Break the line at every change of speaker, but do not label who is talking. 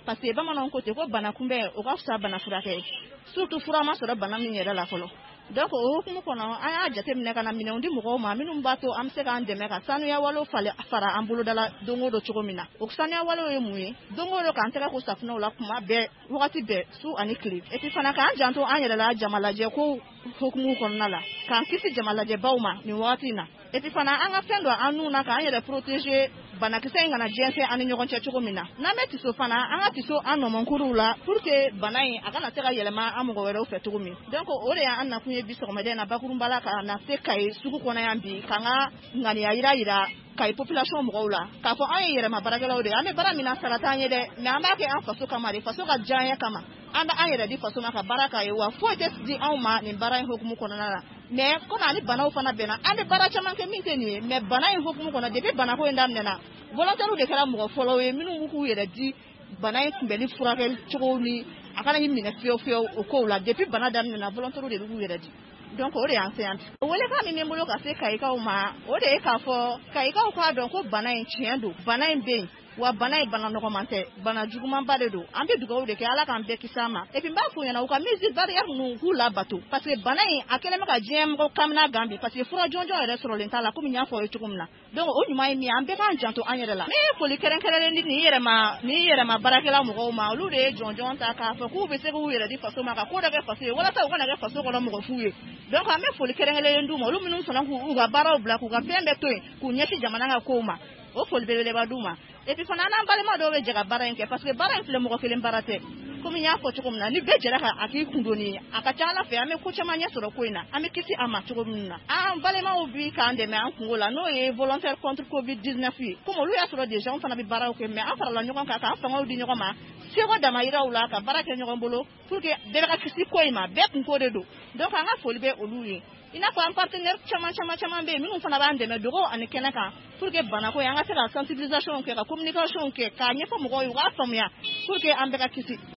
Parce que bamananw ko ten ko bana kunbɛn o ka fisa bana furakɛ ye, surtout fura ma sɔrɔ bana min yɛrɛ la fɔlɔ. Donc o hukumu kɔnɔ, an y'a jateminɛ ka na minɛnw di mɔgɔw ma minnu b'a to an bɛ se k'an dɛmɛ ka sanuya walew fara an boloda la don o don cogo min na. O sanuya walew ye mun ye? Don o don, k'an tɛgɛ ko safunɛw la kuma bɛɛ, wagati bɛɛ, su ani tile. Et puis fana, k'an janto an yɛrɛ la jamalajɛ ko hukumu kɔnɔna la, k'an kisi jamalajɛbaw ma nin wagati in na. Et puis fana, an ka fɛn dɔ an nun na k'an yɛrɛ protéger, banakisɛ in kana jɛnsɛn an ni ɲɔgɔn cɛ cogo min na. N'an bɛ tiso fana, an ka tiso an nɔmɔnkuruw la pour que bana in a kana se ka yɛlɛma an mɔgɔ wɛrɛw fɛ cogo min. Donc o de y'an nakun ye bi sɔgɔmada in na bakurunba la, ka na se Kayi sugu kɔnɔ yan bi, k'an ka ŋaniya yira Kayi population mɔgɔw la k'a fɔ an ye yɛrɛma baarakɛlaw de ye. An bɛ baara min na, sara t'an ye dɛ, mais an b'a kɛ an faso kama de, faso ka diya kama. An bɛ an yɛrɛ di faso ma ka baara k'a ye, wa foyi tɛ di anw ma nin baara in hukumu kɔnɔna la. Mais komi ani banaw fana bɛnna, an bɛ baara caman kɛ min tɛ nin ye, mais bana in hukumu kɔnɔ, depuis banako in daminɛna, volontaires de kɛra mɔgɔ fɔlɔw ye minnu k'u yɛrɛ di bana in kunbɛnni furakɛli cogo ni a kana minɛ fiyewu fiyewu o kow la. Depuis bana daminɛna, volontaires de bɛ k'u yɛrɛ di. Donc o de y'an se yan bi. Welekan min bɛ n bolo ka se Kayikaw ma, o de ye k'a fɔ Kayikaw k'a dɔn ko bana in tiɲɛ don, bana in bɛ yen, wa bana in bana nɔgɔman tɛ, bana jugumanba de don. An bɛ dugawu de kɛ Ala k'an bɛɛ kisi a ma. Et puis n b'a f'u ɲɛna, u ka mesures barrières ninnu, k'u labato, parce que bana in a kɛlen bɛ ka diɲɛ mɔgɔ kamana gan bi, parce que fura jɔnjɔn yɛrɛ sɔrɔlen t'a la, komi n y'a fɔ aw ye cogo min na. Donc o ɲuman ye min ye, an bɛɛ k'an janto an yɛrɛ la. Ne ye foli kɛrɛnkɛrɛnnen di nin yɛrɛma baarakɛla mɔgɔw ma. Olu de ye jɔnjɔn ta k'a fɔ k'u bɛ se k'u yɛrɛ di faso ma, ka ko dɔ kɛ faso ye walasa u kana kɛ faso kɔnɔ mɔgɔ fu ye. Donc an bɛ foli kɛrɛnkɛrɛnnen d'u ma, olu minnu sɔnna k'u ka baaraw bila, k'u ka fɛn bɛɛ to yen, k'u ɲɛsin jamana ka kow ma. O foli belebeleba d'u ma. Et puis fana, an n'an balima dɔw bɛ jɛ ka baara in kɛ, parce que baara in filɛ, mɔgɔ kelen baara tɛ. Komi n y'a fɔ cogo min na, ni bɛɛ jɛra ka a k'i kundoni ye, a ka ca Ala fɛ, an bɛ ko caman ɲɛ sɔrɔ ko in na, an bɛ kisi a ma cogo min na. An balimaw bi k'an dɛmɛ an kungo la, n'o ye volontaire contre Covid 19 ye. Komi olu y'a sɔrɔ déjà an fana bɛ baaraw kɛ, mais an farala ɲɔgɔn kan k'an fangaw di ɲɔgɔn ma, seko damayiraw la, ka baara kɛ ɲɔgɔn bolo pour que bɛɛ ka kisi ko in ma. Bɛɛ kunko de don. Donc an ka foli bɛ olu ye. I n'a fɔ an partenaire caman caman caman bɛ yen minnu fana b'an dɛmɛ dogo ani kɛnɛ kan pour que banako in, an ka se ka sensibilisation kɛ, ka communication kɛ, k'a ɲɛfɔ mɔgɔw ye, u k'a faamuya, pour que an bɛɛ ka kisi.